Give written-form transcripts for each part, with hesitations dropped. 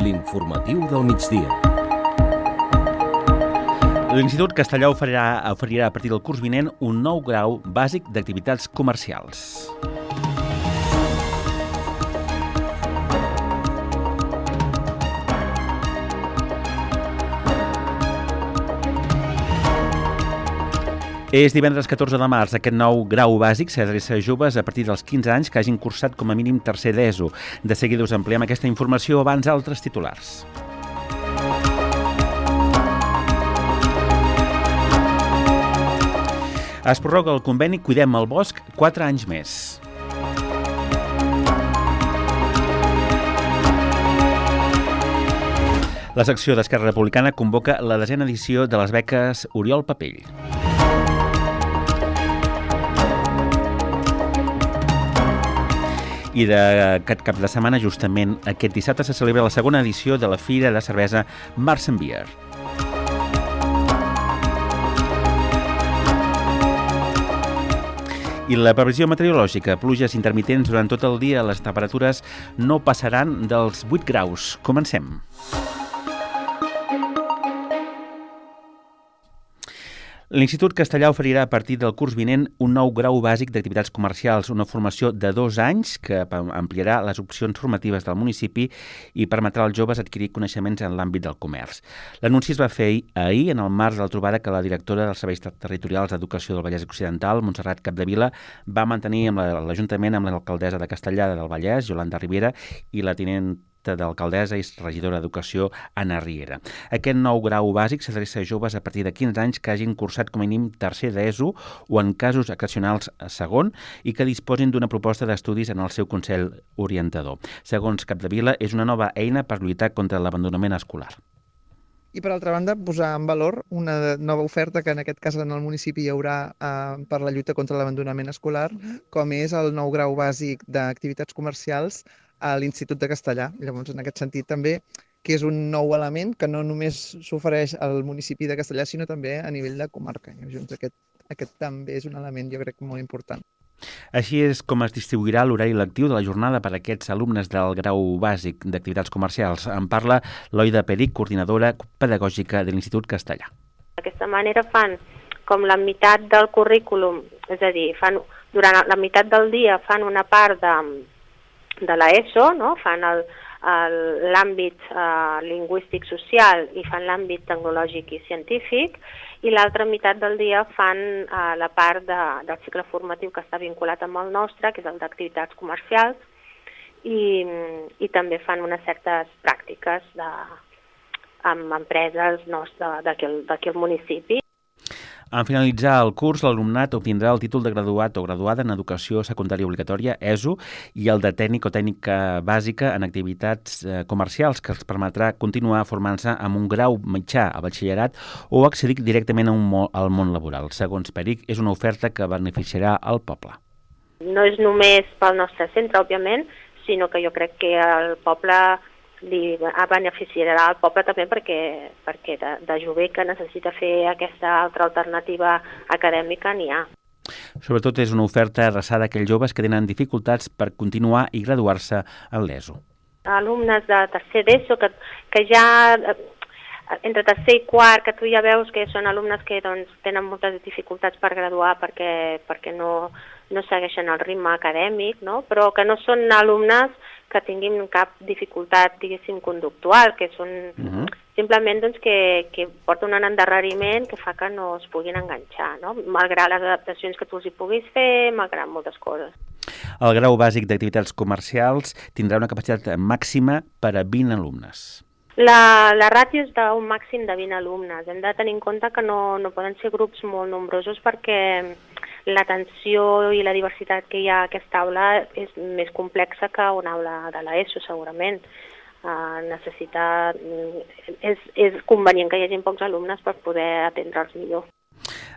L'informatiu del migdia. L'Institut Castellà oferirà a partir del curs vinent un nou grau bàsic d'activitats comercials. És divendres 14 de març. Aquest nou grau bàsic s'adreça a joves a partir dels 15 anys que hagin cursat com a mínim tercer d'ESO. De seguida us ampliem aquesta informació abans altres titulars. Es prorroga el conveni Cuidem el Bosc 4 anys més. La secció d'Esquerra Republicana convoca la 10a edició de les beques Oriol Papell. I d'aquest cap de setmana, justament aquest dissabte, se celebra la segona edició de la Fira de Cervesa Marsen Beer. I la previsió meteorològica, pluges intermitents durant tot el dia, les temperatures no passaran dels 8 graus. Comencem. L'Institut Castellà oferirà a partir del curs vinent un nou grau bàsic d'activitats comercials, una formació de 2 anys que ampliarà les opcions formatives del municipi i permetrà als joves adquirir coneixements en l'àmbit del comerç. L'anunci es va fer ahir en el marc de la trobada que la directora dels Serveis Territorials d'Educació del Vallès Occidental, Montserrat Capdevila, va mantenir amb l'Ajuntament amb l'alcaldessa de Castellar del Vallès, Yolanda Ribera, i la tinent d'alcaldessa i regidora d'Educació, Anna Riera. Aquest nou grau bàsic s'adreça a joves a partir de 15 anys que hagin cursat com a mínim tercer d'ESO o en casos excepcionals segon i que disposin d'una proposta d'estudis en el seu Consell Orientador. Segons Capdevila, és una nova eina per lluitar contra l'abandonament escolar. I per altra banda, posar en valor una nova oferta que en aquest cas en el municipi hi haurà per la lluita contra l'abandonament escolar, com és el nou grau bàsic d'activitats comercials a l'Institut de Castellà. Llavors, en aquest sentit també, que és un nou element que no només s'ofereix al municipi de Castellà, sinó també a nivell de comarca. Llavors, aquest també és un element, jo crec, molt important. Així és com es distribuirà l'horari lectiu de la jornada per a aquests alumnes del grau bàsic d'activitats comercials. En parla Loida Peric, coordinadora pedagògica de l'Institut Castellà. D'aquesta manera fan com la meitat del currículum, és a dir, durant la meitat del dia fan una part de l'ESO, no? Fan l'àmbit lingüístic social i fan l'àmbit tecnològic i científic, i l'altra meitat del dia fan la part del cicle formatiu que està vinculat amb el nostre, que és el d'activitats comercials, i també fan unes certes pràctiques amb empreses d'aquí al municipi. En finalitzar el curs, l'alumnat obtindrà el títol de graduat o graduada en Educació Secundària Obligatòria, ESO, i el de tècnic o tècnica bàsica en activitats comercials, que els permetrà continuar formant-se amb un grau mitjà a batxillerat o accedir directament al món laboral. Segons Peric, és una oferta que beneficiarà el poble. No és només pel nostre centre, òbviament, sinó que jo crec que el poble li beneficiarà al poble també perquè de jove que necessita fer aquesta altra alternativa acadèmica n'hi ha. Sobretot és una oferta adreçada a aquells joves que tenen dificultats per continuar i graduar-se en l'ESO. Alumnes de tercer d'ESO que ja entre tercer i quart, que tu ja veus que són alumnes que tenen moltes dificultats per graduar perquè no segueixen el ritme acadèmic, no? Però que no són alumnes que tinguin cap dificultat, diguéssim, conductual, que són simplement que porten un endarreriment que fa que no es puguin enganxar, no? Malgrat les adaptacions que tu els hi puguis fer, malgrat moltes coses. El grau bàsic d'activitats comercials tindrà una capacitat màxima per a 20 alumnes. La ràtio és d'un màxim de 20 alumnes. Hem de tenir en compte que no poden ser grups molt nombrosos perquè l'atenció i la diversitat que hi ha a aquesta aula és més complexa que una aula de l'ESO, segurament. És convenient que hi hagi pocs alumnes per poder atendre'ls millor.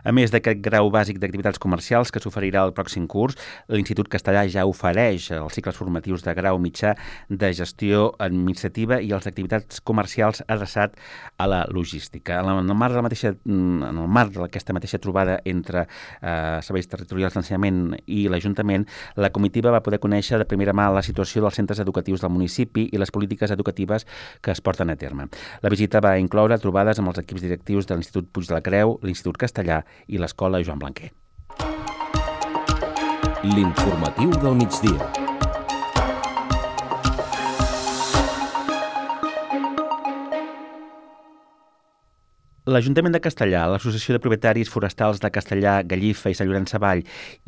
A més d'aquest grau bàsic d'activitats comercials que s'oferirà el pròxim curs, l'Institut Castellà ja ofereix els cicles formatius de grau mitjà de gestió administrativa i els d'activitats comercials adreçat a la logística. En el marc d'aquesta mateixa trobada entre serveis territorials d'ensenyament i l'Ajuntament, la comitiva va poder conèixer de primera mà la situació dels centres educatius del municipi i les polítiques educatives que es porten a terme. La visita va incloure trobades amb els equips directius de l'Institut Puig de la Creu, l'Institut Castellà i l'Escola Joan Blanquer. L'informatiu del migdia. L'Ajuntament de Castellà, l'Associació de Propietaris Forestals de Castellà, Gallifa i Sant Llorenç Savall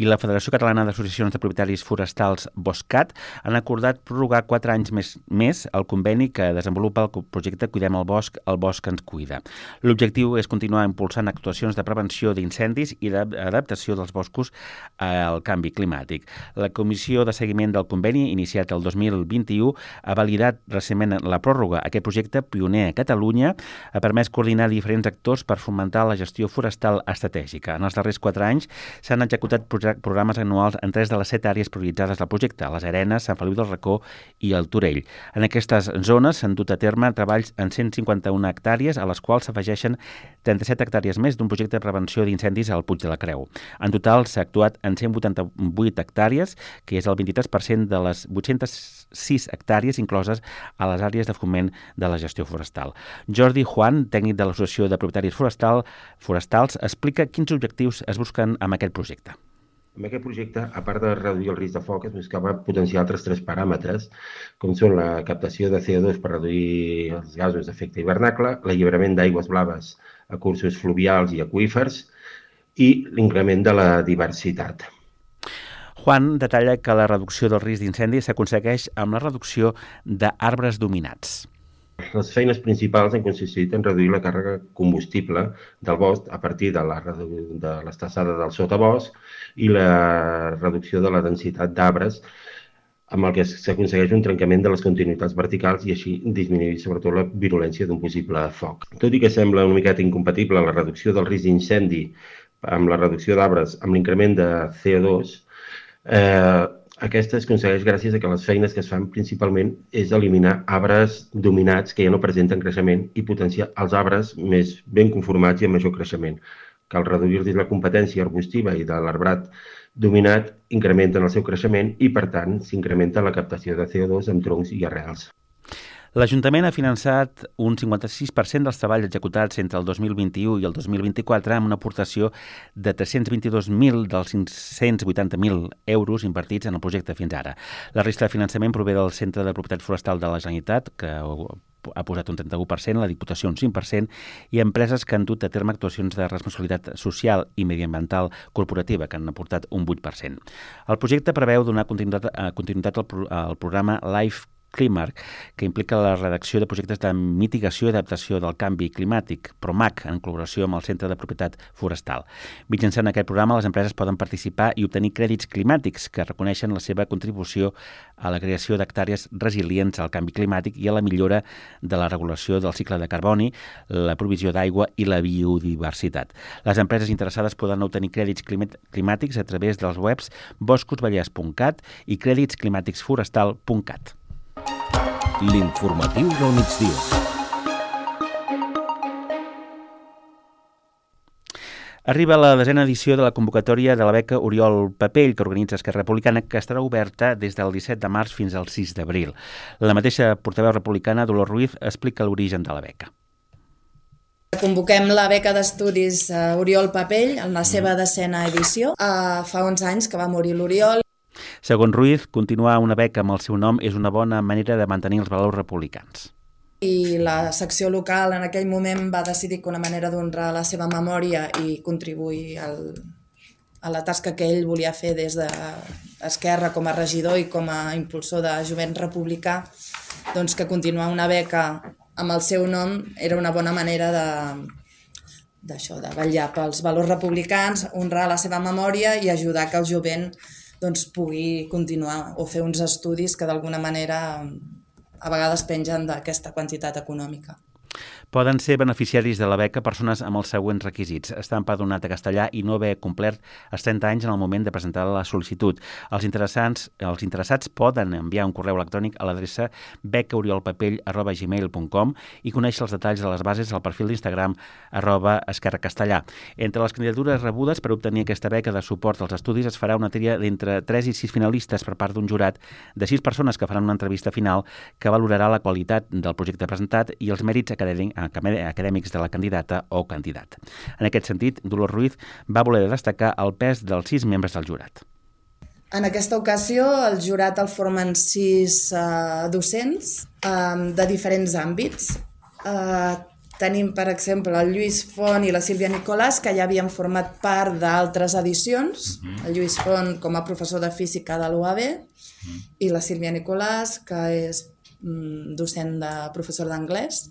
i la Federació Catalana d'Associacions de Propietaris Forestals Boscat han acordat prorrogar 4 anys més el conveni que desenvolupa el projecte Cuidem el bosc ens cuida. L'objectiu és continuar impulsant actuacions de prevenció d'incendis i d'adaptació dels boscos al canvi climàtic. La Comissió de Seguiment del Conveni, iniciat el 2021, ha validat recentment la pròrroga. Aquest projecte, pioner a Catalunya, ha permès coordinar diferents actors per fomentar la gestió forestal estratègica. En els darrers 4 anys s'han executat programes anuals en 3 de les 7 àrees prioritzades del projecte, les Arenes, Sant Feliu del Racó i el Torell. En aquestes zones s'han dut a terme treballs en 151 hectàrees, a les quals s'afegeixen 37 hectàrees més d'un projecte de prevenció d'incendis al Puig de la Creu. En total s'ha actuat en 188 hectàrees, que és el 23% de les 806 hectàrees incloses a les àrees de foment de la gestió forestal. Jordi Juan, tècnic de l'Associació de Propietaris Forestals, explica quins objectius es busquen amb aquest projecte. Amb aquest projecte, a part de reduir el risc de foc, es buscava potenciar altres 3 paràmetres, com són la captació de CO2 per reduir els gasos d'efecte hivernacle, l'alliberament d'aigües blaves a cursos fluvials i aqüífers i l'increment de la diversitat. Juan detalla que la reducció del risc d'incendi s'aconsegueix amb la reducció d'arbres dominats. Les feines principals han consistit en reduir la càrrega combustible del bosc a partir de l'estassada del sotabosc i la reducció de la densitat d'arbres, amb el que s'aconsegueix un trencament de les continuïtats verticals i així disminuir sobretot la virulència d'un possible foc. Tot i que sembla una miqueta incompatible la reducció del risc d'incendi amb la reducció d'arbres amb l'increment de CO2, aquesta es aconsegueix gràcies a que les feines que es fan principalment és eliminar arbres dominats que ja no presenten creixement i potenciar els arbres més ben conformats i amb major creixement. Cal reduir-los la competència arbustiva i de l'arbrat dominat incrementen el seu creixement i, per tant, s'incrementa la captació de CO2 amb troncs i arrels. L'Ajuntament ha finançat un 56% dels treballs executats entre el 2021 i el 2024 amb una aportació de 322.000 dels 580.000 euros invertits en el projecte fins ara. La resta de finançament prové del Centre de Propietat Forestal de la Generalitat, que ha posat un 31%, la Diputació un 5%, i empreses que han dut a terme actuacions de responsabilitat social i mediambiental corporativa, que han aportat un 8%. El projecte preveu donar continuïtat al programa Life Climart, que implica la redacció de projectes de mitigació i adaptació del canvi climàtic, PROMAC, en col·laboració amb el Centre de Propietat Forestal. Mitjançant aquest programa, les empreses poden participar i obtenir crèdits climàtics que reconeixen la seva contribució a la creació d'hectàrees resilients al canvi climàtic i a la millora de la regulació del cicle de carboni, la provisió d'aigua i la biodiversitat. Les empreses interessades poden obtenir crèdits climàtics a través dels webs boscosvallès.cat i crèditsclimàticsforestal.cat. L'informatiu del migdia. Arriba la 10ª edició de la convocatòria de la beca Oriol Papell, que organitza Esquerra Republicana, que estarà oberta des del 17 de març fins al 6 d'abril. La mateixa portaveu republicana, Dolors Ruiz, explica l'origen de la beca. Convoquem la beca d'estudis Oriol Papell en la seva 10ª edició. Fa uns anys que va morir l'Oriol. Segons Ruiz, continuar una beca amb el seu nom és una bona manera de mantenir els valors republicans. I la secció local en aquell moment va decidir que una manera d'honrar la seva memòria i contribuir a la tasca que ell volia fer des d'Esquerra com a regidor i com a impulsor de jovent republicà, doncs que continuar una beca amb el seu nom era una bona manera de vetllar pels valors republicans, honrar la seva memòria i ajudar que el jovent pugui continuar o fer uns estudis que d'alguna manera a vegades pengen d'aquesta quantitat econòmica. Poden ser beneficiaris de la beca persones amb els següents requisits: estar empadronat a castellà i no haver complert els 30 anys en el moment de presentar la sol·licitud. Els interessats poden enviar un correu electrònic a l'adreça becaoriolpapell@gmail.com i conèixer els detalls de les bases al perfil d'Instagram @esquerracastellà. Entre les candidatures rebudes per obtenir aquesta beca de suport als estudis es farà una tria d'entre 3 i 6 finalistes per part d'un jurat de 6 persones que faran una entrevista final que valorarà la qualitat del projecte presentat i els mèrits acadèmics de la candidata o candidat. En aquest sentit, Dolors Ruiz va voler destacar el pes dels 6 membres del jurat. En aquesta ocasió, el jurat el formen 6 docents de diferents àmbits. Tenim, per exemple, el Lluís Font i la Sílvia Nicolàs, que ja havien format part d'altres edicions. El Lluís Font com a professor de física de l'UAB i la Sílvia Nicolàs, que és docent de professor d'anglès.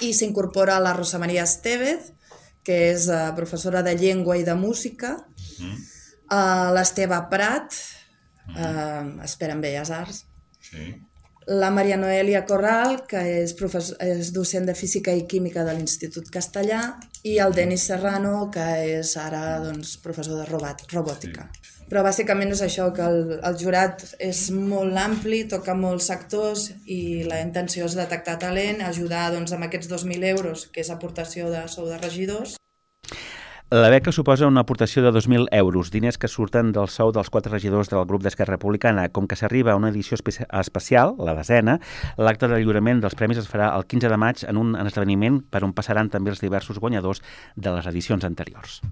I s'incorpora la Rosa Maria Estevez, que és professora de llengua i de música, l'Esteve Prat, expert en Belles Arts, la Maria Noelia Corral, que és docent de física i química de l'Institut Castellà, i el Denis Serrano, que és ara professor de robòtica. Però bàsicament és això, que el jurat és molt ampli, toca molts sectors i la intenció és detectar talent, ajudar amb aquests 2.000 euros, que és aportació de sou de regidors. La beca suposa una aportació de 2.000 euros, diners que surten del sou dels 4 regidors del grup d'Esquerra Republicana. Com que s'arriba a una edició especial, la 10ª, l'acte de lliurament dels premis es farà el 15 de maig en un esdeveniment per on passaran també els diversos guanyadors de les edicions anteriors.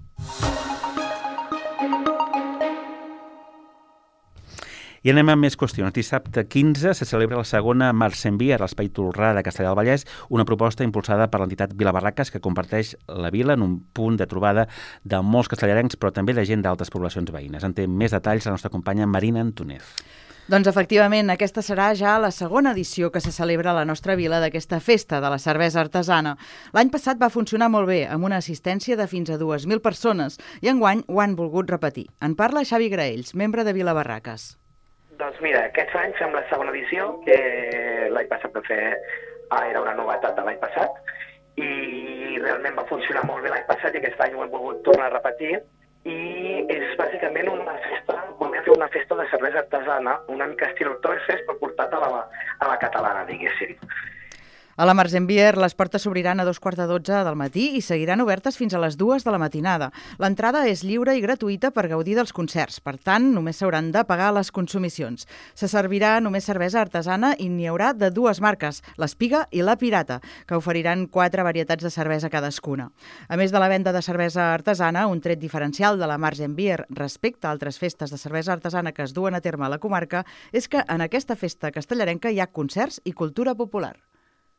I anem amb més qüestions. Dissabte 15 se celebra la segona Març en Beer a l'Espai Tolrà de Castellar del Vallès, una proposta impulsada per l'entitat Vila Barraques que comparteix la vila en un punt de trobada de molts castellarencs, però també de gent d'altres poblacions veïnes. En té més detalls la nostra companya Marina Antúnez. Doncs efectivament, aquesta serà ja la segona edició que se celebra a la nostra vila d'aquesta festa de la cervesa artesana. L'any passat va funcionar molt bé, amb una assistència de fins a 2.000 persones, i enguany ho han volgut repetir. En parla Xavi Graells, membre de Vila Barraques. Doncs mira, aquests anys fem la segona edició, que l'any passat vam fer, era una novetat de l'any passat, i realment va funcionar molt bé l'any passat i aquest any ho hem volgut tornar a repetir, i és bàsicament una festa, volem fer una festa de cervesa artesana, una mica estil Oktoberfest, però portat a la catalana, diguéssim. A la Març en Beer les portes s'obriran a 2:45 del matí i seguiran obertes fins a les 2 de la matinada. L'entrada és lliure i gratuïta per gaudir dels concerts, per tant, només s'hauran de pagar les consumicions. Se servirà només cervesa artesana i n'hi haurà de 2 marques, l'Espiga i la Pirata, que oferiran 4 varietats de cervesa cadascuna. A més de la venda de cervesa artesana, un tret diferencial de la Març en Beer respecte a altres festes de cervesa artesana que es duen a terme a la comarca és que en aquesta festa castellarenca hi ha concerts i cultura popular.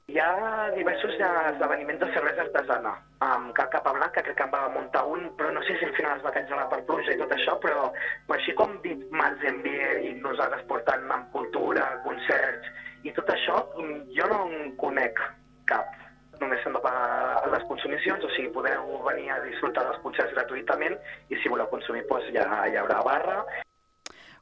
Hi ha diversos esdeveniments de cervesa artesana. Cal Capablanc, que crec que en va muntar un, però no sé si al final es va cancel·lar per pluja i tot això, però així com dit Març en Beer i nosaltres portant amb cultura, concerts i tot això, jo no en conec cap. Només s'han de pagar les consumicions, o sigui, podeu venir a disfrutar dels concerts gratuïtament i si voleu consumir doncs ja hi haurà barra.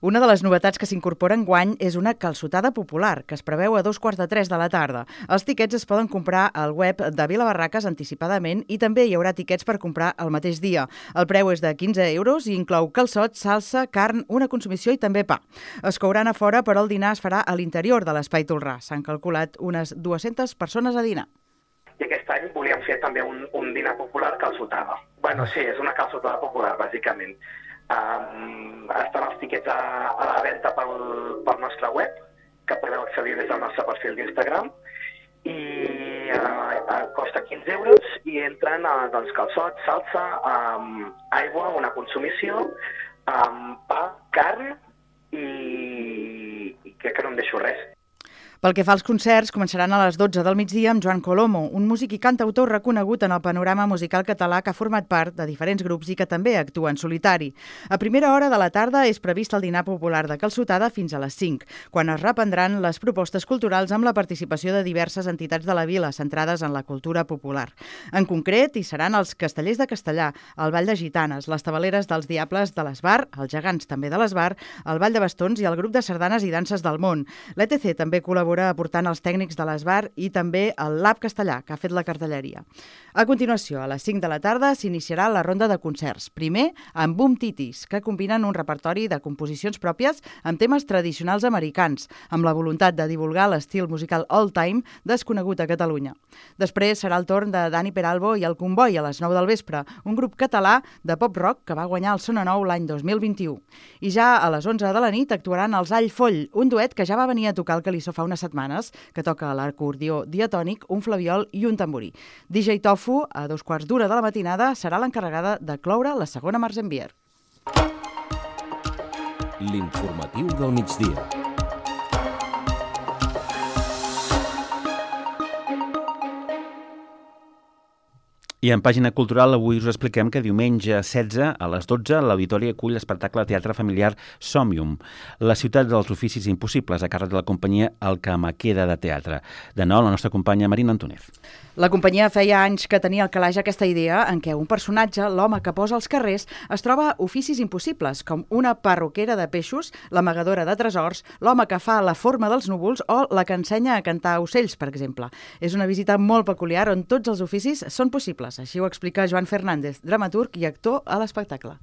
Una de les novetats que s'incorpora enguany és una calçotada popular, que es preveu a 2:45 de la tarda. Els tiquets es poden comprar al web de Vila Barraques anticipadament i també hi haurà tiquets per comprar el mateix dia. El preu és de 15 euros i inclou calçot, salsa, carn, una consumició i també pa. Es couran a fora, però el dinar es farà a l'interior de l'Espai Tolrà. S'han calculat unes 200 persones a dinar. I aquest any volíem fer també un dinar popular calçotada. Bueno, sí, és una calçotada popular, bàsicament. Estan els tiquets a la venda pel nostre web, que podeu accedir des del nostre perfil d'Instagram, i costa 15 euros i entren calçot, salsa, aigua, una consumició, pa, carn i crec que no em deixo res. Pel que fa als concerts, començaran a les 12 del migdia amb Joan Colomo, un músic i cantautor reconegut en el panorama musical català que ha format part de diferents grups i que també actua en solitari. A primera hora de la tarda és previst el dinar popular de calçotada fins a les 5, quan es reprendran les propostes culturals amb la participació de diverses entitats de la vila centrades en la cultura popular. En concret, hi seran els Castellers de Castellà, el Ball de Gitanes, les Tabaleres dels Diables de l'Esbar, els Gegants també de l'Esbar, el Ball de Bastons i el grup de sardanes i danses del món. L'ETC també col·laborarà col·labora aportant els tècnics de l'Esbar i també el Lab Castellà, que ha fet la cartelleria. A continuació, a les 5 de la tarda, s'iniciarà la ronda de concerts. Primer, amb Boom Titis, que combinen un repertori de composicions pròpies amb temes tradicionals americans, amb la voluntat de divulgar l'estil musical old-time desconegut a Catalunya. Després serà el torn de Dani Peralbo i el Comboi a les 9 del vespre, un grup català de pop-rock que va guanyar el Sona Nou l'any 2021. I ja a les 11 de la nit actuaran els All Foll, un duet que ja va venir a tocar el Calissó fa unes setmanes, que toca l'acordió diatònic, un flabiol i un tamborí. DJ Tofu, a 2:15 de la matinada, serà l'encarregada de cloure la segona Març en Bier. L'informatiu del migdia. I en pàgina cultural avui us expliquem que diumenge 16 a les 12 l'Auditori acull l'espectacle de teatre familiar Somnium, la ciutat dels oficis impossibles, a càrrec de la companyia El que me queda de teatre. De nou, la nostra companya Marina Antúnez. La companyia feia anys que tenia al calaix aquesta idea en què un personatge, l'home que posa als carrers, es troba oficis impossibles, com una perruquera de peixos, l'amagadora de tresors, l'home que fa la forma dels núvols o la que ensenya a cantar ocells, per exemple. És una visita molt peculiar on tots els oficis són possibles. Així ho explica Joan Fernández, dramaturg i actor a l'espectacle.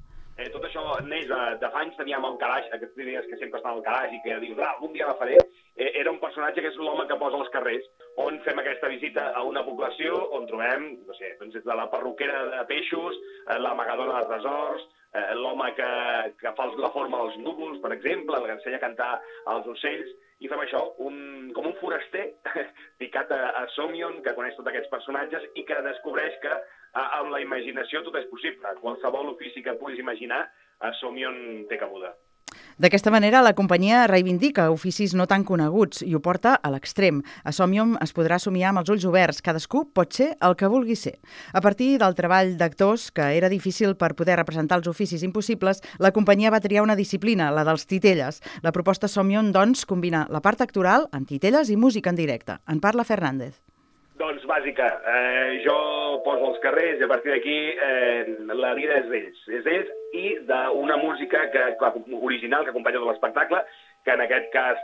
Tot això neix de fa anys, teníem al calaix, aquestes idees que sempre estan al calaix i que dius, algun dia la faré. Era un personatge que és l'home que posa als carrers, on fem aquesta visita a una població on trobem, no sé, doncs des de la perruquera de peixos, l'amagadora de tresors, l'home que fa la forma dels núvols, per exemple, el que ensenya a cantar als ocells, i fem això, com un foraster picat a Somnium, que coneix tots aquests personatges i que descobreix que amb la imaginació tot és possible. Qualsevol ofici que puguis imaginar, a Somnium té cabuda. D'aquesta manera, la companyia reivindica oficis no tan coneguts i ho porta a l'extrem. A Somnium es podrà somiar amb els ulls oberts. Cadascú pot ser el que vulgui ser. A partir del treball d'actors, que era difícil per poder representar els oficis impossibles, la companyia va triar una disciplina, la dels titelles. La proposta Somnium, doncs, combina la part actoral amb titelles i música en directe. En parla Fernández. Doncs bàsica, jo poso els carrers i a partir d'aquí la vida és d'ells. És d'ells i d'una música original que acompanya tot l'espectacle, que en aquest cas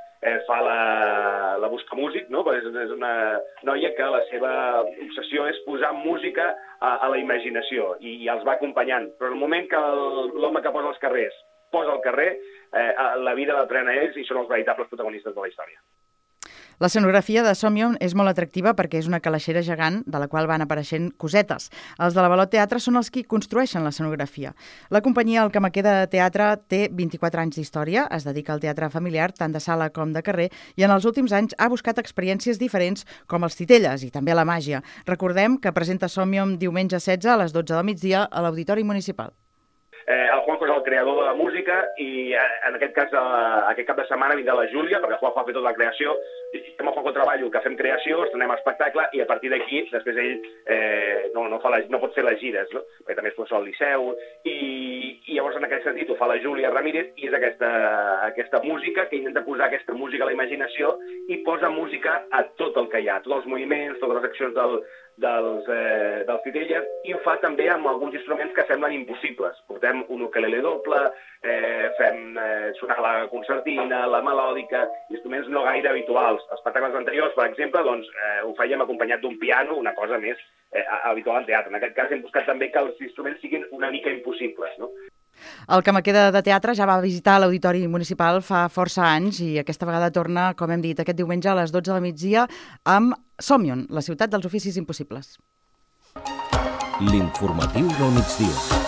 fa la Buscamúsic, no? És una noia que la seva obsessió és posar música a la imaginació i els va acompanyant. Però en el moment que l'home que posa els carrers posa al carrer, la vida la prenen ells i són els veritables protagonistes de la història. L'escenografia de Somnium és molt atractiva perquè és una calaixera gegant de la qual van apareixent cosetes. Els de l'Avalot Teatre són els qui construeixen l'escenografia. La companyia El que me queda de teatre té 24 anys d'història, es dedica al teatre familiar, tant de sala com de carrer, i en els últims anys ha buscat experiències diferents com els titelles i també la màgia. Recordem que presenta Somnium diumenge 16 a les 12 del migdia a l'Auditori Municipal. El Juanjo és el creador de la música i en aquest cas aquest cap de setmana vindrà la Júlia, perquè el Juanjo ha fet tota la creació, i amb el Juanjo treballo que fem creació, estrenem espectacle i a partir d'aquí després ell no pot fer les gires, no? Perquè també és professor al Liceu i llavors en aquest sentit ho fa la Júlia Ramírez i és aquesta música que intenta posar aquesta música a la imaginació i posa música a tot el que hi ha, tots els moviments, totes les accions dels titelles i ho fa també amb alguns instruments que semblen impossibles. Portem un ukelele doble, fem sonar la concertina, la melòdica, instruments no gaire habituals. Els espectacles anteriors, per exemple, ho fèiem acompanyat d'un piano, una cosa més habitual en teatre. En aquest cas hem buscat també que els instruments siguin una mica impossibles, no? El que me queda de teatre ja va visitar l'Auditori Municipal fa força anys i aquesta vegada torna, com hem dit, aquest diumenge a les 12 del migdia amb Somnium, la ciutat dels oficis impossibles. L'informatiu del migdia.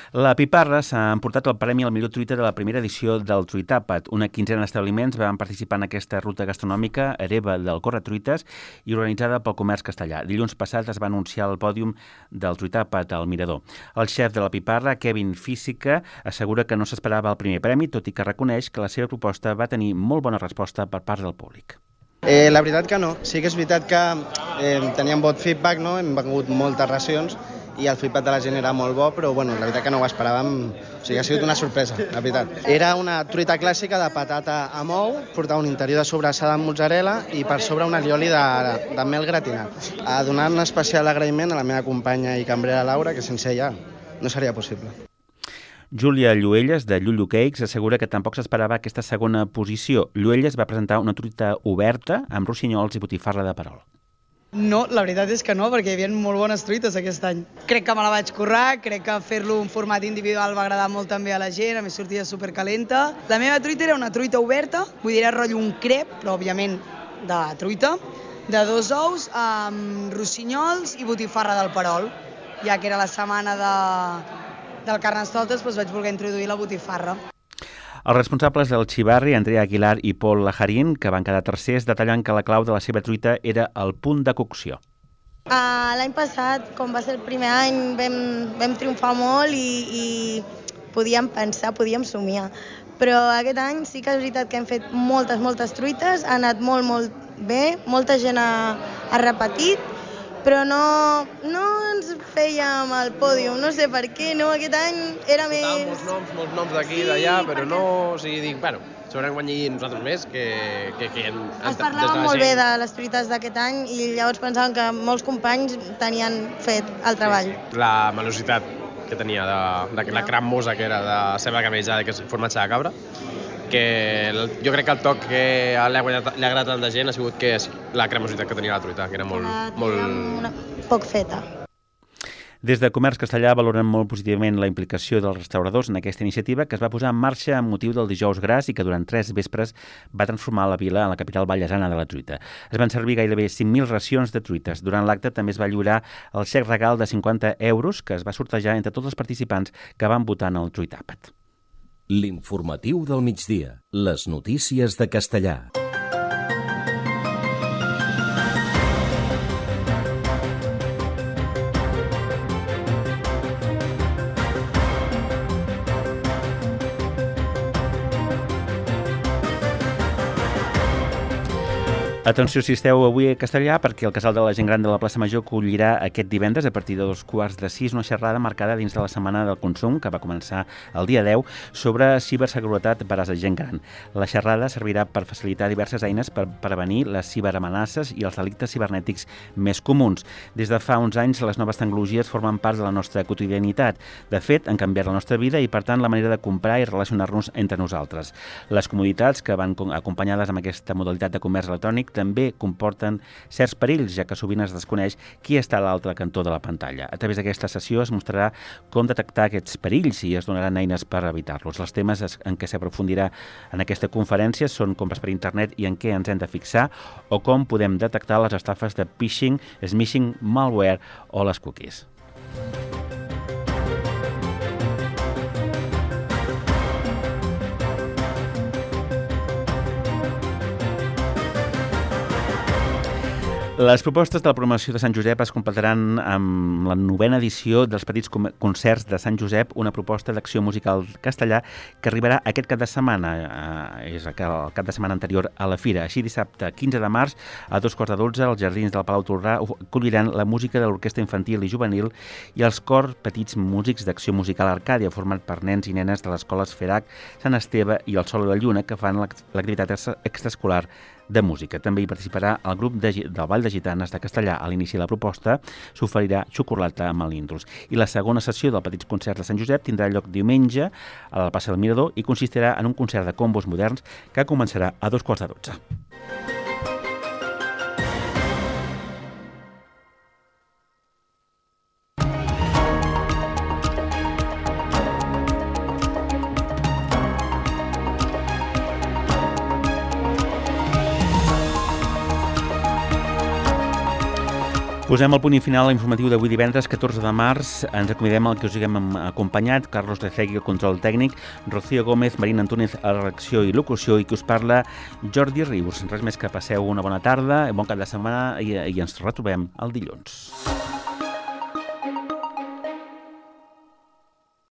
La Piparra s'ha emportat el premi al millor truita de la primera edició del Truitàpat. Una quinzena d'establiments van participar en aquesta ruta gastronòmica hereva del Corretruites i organitzada pel Comerç Castellà. Dilluns passat es va anunciar el pòdium del Truitàpat al Mirador. El xef de la Piparra, Kevin Física, assegura que no s'esperava el primer premi, tot i que reconeix que la seva proposta va tenir molt bona resposta per part del públic. La veritat que no. Sí que és veritat que teníem bon feedback, no? Hem vengut moltes racions i el feedback de la gent era molt bo, però la veritat que no ho esperàvem, o sigui, ha sigut una sorpresa, la veritat. Era una truita clàssica de patata amb ou, portava un interior de sobrassada amb mozzarella i per sobre un alioli de mel gratinat. Donant un especial agraïment a la meva companya i cambrera Laura, que sense ella no seria possible. Júlia Lluelles, de Llullo Cakes, assegura que tampoc s'esperava aquesta segona posició. Lluelles va presentar una truita oberta amb rossinyols i botifarra de perol. No, la veritat és que no, perquè hi havia molt bones truites aquest any. Crec que me la vaig currar, crec que fer-lo en format individual va agradar molt també a la gent, a més sortia supercalenta. La meva truita era una truita oberta, vull dir, era rotllo un crep, però òbviament de truita, de 2 ous amb rossinyols i botifarra del perol, ja que era la setmana del Carnestoltes, doncs vaig voler introduir la botifarra. Els responsables del Xivarri, Andrea Aguilar i Pol Lajarín, que van quedar tercers, detallen que la clau de la seva truita era el punt de cocció. L'any passat, com va ser el primer any, vam triomfar molt i podíem pensar, podíem somiar. Però aquest any sí que és veritat que hem fet moltes truites, ha anat molt bé, molta gent ha repetit, però no ens fèiem al pòdium, no sé per què, no? Aquest any era més... Molts noms d'aquí i d'allà, però no... O sigui, dic, bueno, segurament guanyar nosaltres més que es parlava molt bé de les truites d'aquest any i llavors pensàvem que molts companys tenien fet el treball. La malositat que tenia de la cremosa que era de ceba camellada, que és formatge de cabra, que jo crec que el toc que li ha agradat a tanta gent ha sigut que la cremositat que tenia la truita, que era molt... poc feta. Des de Comerç Castellà valoren molt positivament la implicació dels restauradors en aquesta iniciativa que es va posar en marxa amb motiu del Dijous Gras i que durant 3 vespres va transformar la vila en la capital vallesana de la truita. Es van servir gairebé 5.000 racions de truites. Durant l'acte també es va lliurar el xec regal de 50 euros que es va sortejar entre tots els participants que van votar en el Truitàpat. L'informatiu del migdia. Les notícies de Castellà. Atenció si esteu avui a Castellà, perquè el Casal de la Gent Gran de la Plaça Major acollirà aquest divendres a partir de 5:15 una xerrada marcada dins de la Setmana del Consum, que va començar el dia 10, sobre ciberseguretat per a la gent gran. La xerrada servirà per facilitar diverses eines per prevenir les ciberamenaces i els delictes cibernètics més comuns. Des de fa uns anys, les noves tecnologies formen part de la nostra quotidianitat. De fet, han canviat la nostra vida i, per tant, la manera de comprar i relacionar-nos entre nosaltres. Les comoditats que van acompanyades amb aquesta modalitat de comerç electrònic també comporten certs perills, ja que sovint es desconeix qui està a l'altre cantó de la pantalla. A través d'aquesta sessió es mostrarà com detectar aquests perills i es donaran eines per evitar-los. Els temes en què s'aprofundirà en aquesta conferència són compres per internet i en què ens hem de fixar o com podem detectar les estafes de phishing, smishing, malware o les cookies. Les propostes de la programació de Sant Josep es completaran amb la 9a edició dels Petits Concerts de Sant Josep, una proposta d'acció musical castellà que arribarà aquest cap de setmana, és el cap de setmana anterior a la fira. Així, dissabte 15 de març, a 2:15, els jardins del Palau Tolrà acolliran la música de l'Orquestra Infantil i Juvenil i els cors Petits Músics d'Acció Musical Arcàdia, format per nens i nenes de les escoles FEDAC, Sant Esteve i el Sol i la Lluna, que fan l'activitat extraescolar de música. També hi participarà el grup del Ball de Gitanes de Castellà. A l'inici de la proposta s'oferirà xocolata amb melindros. I la segona sessió del Petits Concerts de Sant Josep tindrà lloc diumenge a la plaça del Mirador i consistirà en un concert de combos moderns que començarà a 2:15. Posem el punt i final a l'informatiu d'avui divendres 14 de març. Ens acomidem al que us haguem acompanyat, Carlos Lecegui, el control tècnic, Rocío Gómez, Marina Antúnez a la redacció i locució, i que us parla Jordi Rius. Res més que passeu una bona tarda, bon cap de setmana i ens retrobem el dilluns.